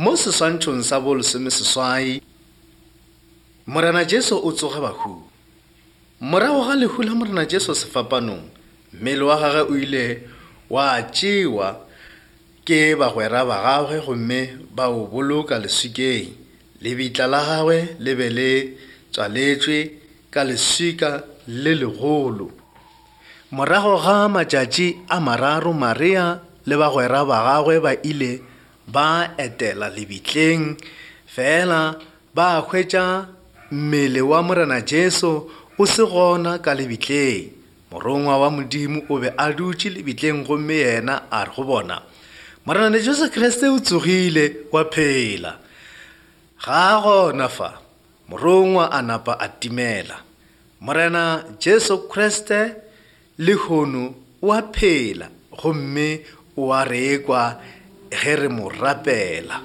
Mo seswantšhong sa bolesomeseswai, Morena Jesu o tsoga bahung. Morago ga lehu la Morena Jesu sefapanong, mmele wa gagwe o ile wa tšewa ke bagwera ba gagwe gomme ba o boloka leswikeng. Lebitla la gagwe le be le tswaletšwe ka leswika le legolo. Morago ga matšatši a mararo Maria le bagwera ba gagwe ba ile ba etela lebitleng, fela ba hwetša mmele wa Morena Jesu o se gona ka lebitleng. Morongwa wa Modimo o be a dutše lebitleng gomme yena a re go bona, Morena Jesu Kriste o tsogile wa phela. Ga a gona fa. Morongwa a napa a timela. Morena Jesu Kriste lehono o a phela gomme o a re ekwa ge re mo rapela.